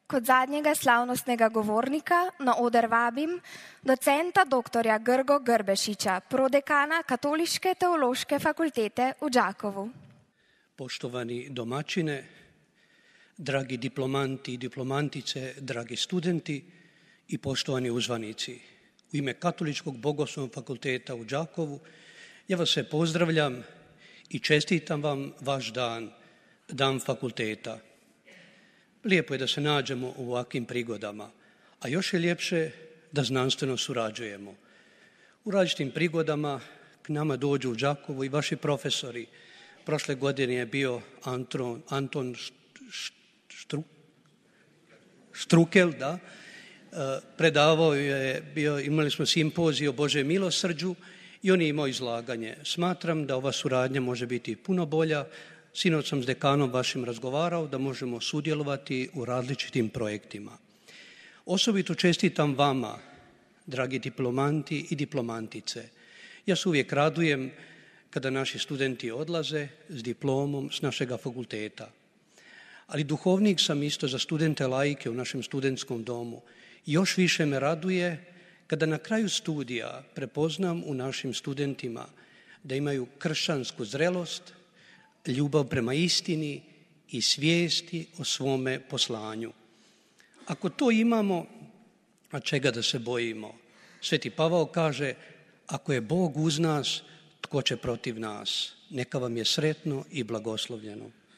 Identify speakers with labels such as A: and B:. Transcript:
A: Kot zadnjega slavnostnega govornika na oder vabim docenta dr. Grgo Grbešića, prodekana Katoliške teološke fakultete v Đakovu.
B: Poštovani domaćine, dragi diplomanti i diplomantice, dragi studenti i poštovani uzvanici. U ime Katoličkog bogoslovnog fakulteta u Đakovu ja vas sve pozdravljam i čestitam vam vaš dan, dan fakulteta. Lijepo je da se nađemo u ovakvim prigodama, a još je ljepše da znanstveno surađujemo. U različitim prigodama k nama dođu u Đakovu i vaši profesori. Prošle godine je bio Anton Štrukel, da, predavao je, imali smo simpozij o Božjem milosrđu i on je imao izlaganje. Smatram da ova suradnja može biti puno bolja. Sinoć sam s dekanom vašim razgovarao da možemo sudjelovati u različitim projektima. Osobito čestitam vama, dragi diplomanti i diplomantice. Ja se uvijek radujem kada naši studenti odlaze s diplomom s našega fakulteta. Ali duhovnik sam isto za studente laike u našem studentskom domu. Još više me raduje kada na kraju studija prepoznam u našim studentima da imaju kršćansku zrelost, ljubav prema istini i svijesti o svome poslanju. Ako to imamo, a čega da se bojimo? Sveti Pavao kaže, ako je Bog uz nas, tko će protiv nas? Neka vam je sretno i blagoslovljeno.